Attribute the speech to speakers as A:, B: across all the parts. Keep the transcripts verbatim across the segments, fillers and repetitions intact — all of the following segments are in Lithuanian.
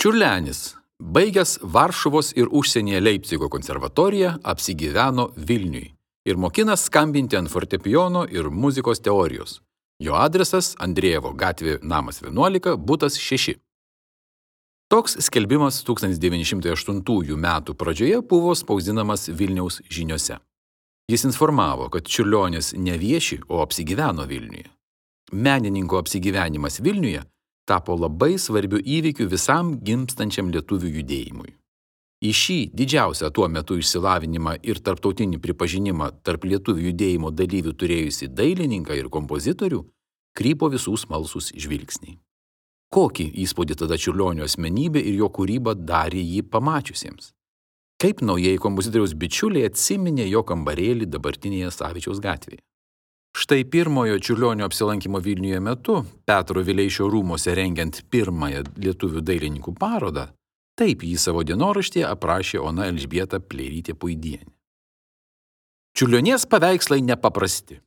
A: Čiurlenis, baigęs Varšuvos ir užsienyje Leipcigo konservatoriją, apsigyveno Vilniui ir mokina skambinti ant fortepijono ir muzikos teorijos. Jo adresas Andrėjevo gatvė namas vienuolika, butas šeši. Toks skelbimas tūkstantis devyni šimtai aštuntųjų metų pradžioje buvo spausdinamas Vilniaus žiniose. Jis informavo, kad Čiurlionis ne vieši, o apsigyveno Vilniuje. Menininko apsigyvenimas Vilniuje tapo labai svarbiu įvykiu visam gimstančiam lietuvių judėjimui. Į šį didžiausią tuo metu išsilavinimą ir tarptautinį pripažinimą tarp lietuvių judėjimo dalyvių turėjusi dailininką ir kompozitorių krypo visų smalsūs žvilgsniai. Kokį įspūdį tada Čiurlionio asmenybė ir jo kūryba darė jį pamačiusiems? Kaip naujieji kompozitoriaus bičiuliai atsiminė jo kambarėlį dabartinėje Savičiaus gatvėje? Štai pirmojo Čiurlionio apsilankimo Vilniuje metu, Petro Vileišio rūmose rengiant pirmąją lietuvių dailininkų parodą, taip jį savo dienoraštyje aprašė Ona Elžbieta Pleirytė-Puidienė. Čiurlionies paveikslai nepaprasti.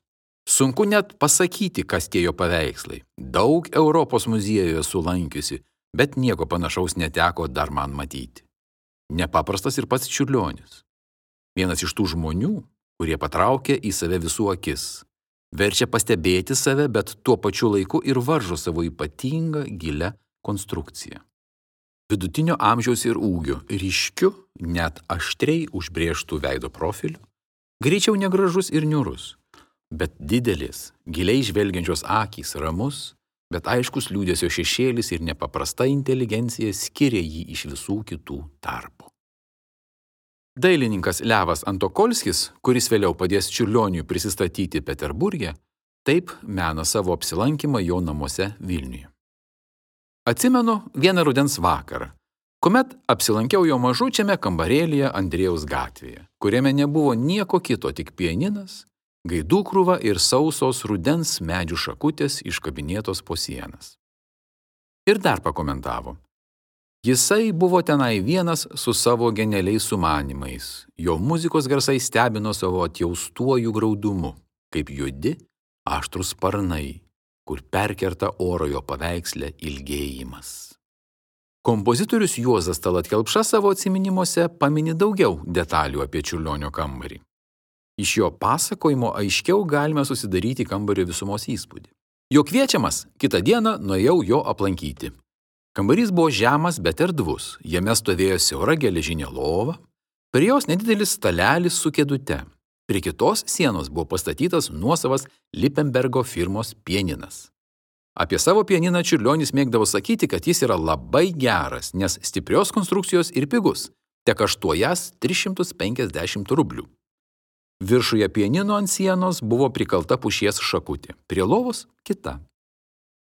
A: Sunku net pasakyti, kas tie jo paveikslai. Daug Europos muziejoje sulankiusi, bet nieko panašaus neteko dar man matyti. Nepaprastas ir pats Čiurlionis. Vienas iš tų žmonių, kurie patraukia į save visų akis. Verčia pastebėti save, bet tuo pačiu laiku ir varžo savo ypatingą gilią konstrukciją. Vidutinio amžiaus ir ūgio, ryškiu, net aštriai užbrėžtų veido profiliu, greičiau negražus ir niūrus, bet didelis, giliai žvelgiančios akys ramus, bet aiškus liūdesio šešėlis ir nepaprasta inteligencija skiria jį iš visų kitų tarpų. Dailininkas Levas Antokolskis, kuris vėliau padės Čiurlioniui prisistatyti Peterburge, taip mena savo apsilankymą jo namuose Vilniuje. Atsimenu vieną rudens vakarą, kuomet apsilankiau jo mažučiame kambarėlyje Andrėjaus gatvėje, kuriame nebuvo nieko kito, tik pianinas, gaidų krūva ir sausos rudens medžių šakutės iškabinėtos po sienas. Ir dar pakomentavo. Jisai buvo tenai vienas su savo genialiais sumanymais. Jo muzikos garsai stebino savo atjaustuoju graudumu, kaip juodi, aštrus sparnai, kur perkerta oro jo paveiksle ilgėjimas. Kompozitorius Juozas Tallat Kelpša savo atsiminimuose pamini daugiau detalių apie Čiurlionio kambarį. Iš jo pasakojimo aiškiau galime susidaryti kambario visumos įspūdį. Jo kviečiamas, kitą dieną nuėjau jo aplankyti. Kambarys buvo žemas, bet erdvus. Jame stovėjo siaura geležinė lova, prie jos nedidelis stalelis su kėdute. Prie kitos sienos buvo pastatytas nuosavas Lippenbergo firmos pianinas. Apie savo pianiną Čiurlionis mėgdavo sakyti, kad jis yra labai geras, nes stiprios konstrukcijos ir pigus, tek aštuojas tris šimtus penkiasdešimt rublių. Viršuje pianino ant sienos buvo prikalta pušies šakutė, prie lovos kita.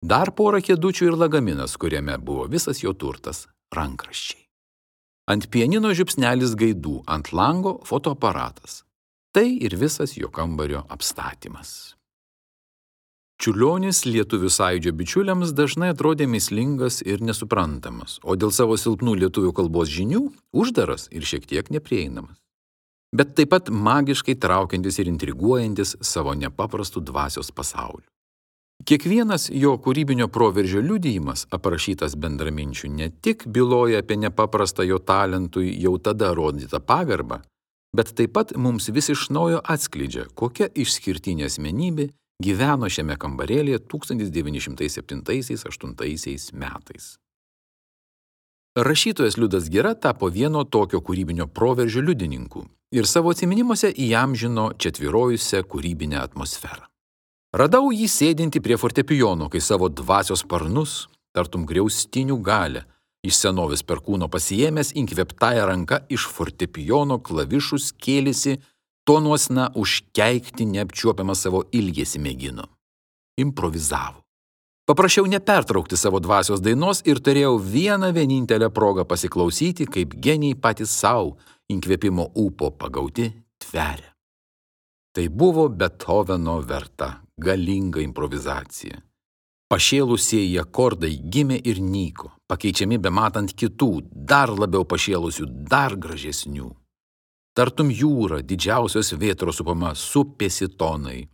A: Dar porą kėdučių ir lagaminas, kuriame buvo visas jo turtas – rankraščiai. Ant pianino žiupsnelis gaidų, ant lango fotoaparatas. Tai ir visas jo kambario apstatymas. Čiurlionis lietuvių sąjūdžio bičiuliams dažnai atrodė mįslingas ir nesuprantamas, o dėl savo silpnų lietuvių kalbos žinių uždaras ir šiek tiek neprieinamas. Bet taip pat magiškai traukiantis ir intriguojantis savo nepaprastų dvasios pasauliu. Kiekvienas jo kūrybinio proveržio liudijimas, aprašytas bendraminčių, ne tik byloja apie nepaprastą jo talentui jau tada rodytą pagarbą, bet taip pat mums vis iš naujo atskleidžia, kokia išskirtinė asmenybė gyveno šiame kambarėlyje tūkstantis devyni šimtai septintaisiais aštuntaisiais metais. Rašytojas Liudas Gira tapo vieno tokio kūrybinio proveržio liudininku ir savo atsiminimuose įamžino čia tvyrojusią kūrybinę atmosferą. Radau jį sėdintį prie fortepijono, kai savo dvasios sparnus, tartum griaustinių galę, iš senovės perkūno pasiėmęs inkvėptąją ranką iš fortepijono klavišus kėlėsi, tonuosna užkeikti neapčiuopiamą savo ilgesį mėgino. Improvizavo. Paprašiau nepertraukti savo dvasios dainos ir turėjau vieną vienintelę progą pasiklausyti, kaip geniai patys savo inkvėpimo ūpo pagauti tveria. Tai buvo Beethoveno verta, galinga improvizacija. Pašėlusieji akordai gimė ir nyko, pakeičiami bematant kitų, dar labiau pašėlusių, dar gražesnių. Tartum jūra, didžiausios vėtros supama, supėsi tonai.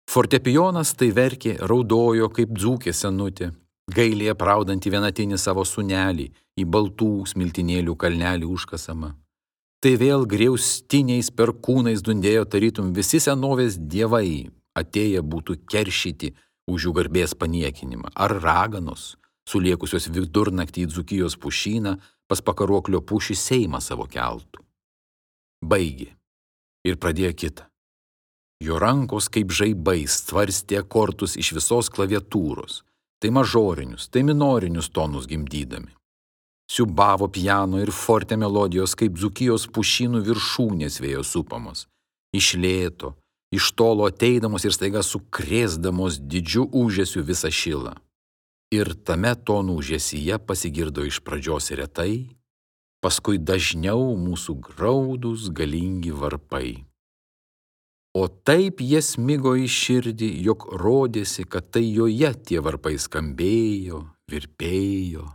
A: Fortepijonas tai verkė, raudojo kaip dzūkė senutė. gailiai apraudantį vienatinį savo sūnelį į baltų smiltinėlių kalnelį užkasamą. Tai vėl griaustiniais perkūnais dundėjo tarytum visi senovės dievai, atėję būtų keršyti už jų garbės paniekinimą, ar raganos, suliekusios vidurnaktį į Dzūkijos pušyną, pas pakaruoklio pušį seimą savo keltų. Baigė ir pradėjo kitą. Jo rankos kaip žaibais tvarstė akordus iš visos klaviatūros, tai mažorinius, tai minorinius tonus gimdydami. Siubavo piano ir forte melodijos kaip Dzūkijos pušynų viršūnės vėjo supamos, iš lėto, iš tolo ateidamos ir staiga sukrėsdamos didžiu ūžesiu visą šilą. Ir tame tonų ūžesyje pasigirdo iš pradžios retai, paskui dažniau mūsų graudūs galingi varpai. O taip jie smigo į širdį, jog rodėsi, kad tai joje tie varpai skambėjo, virpėjo,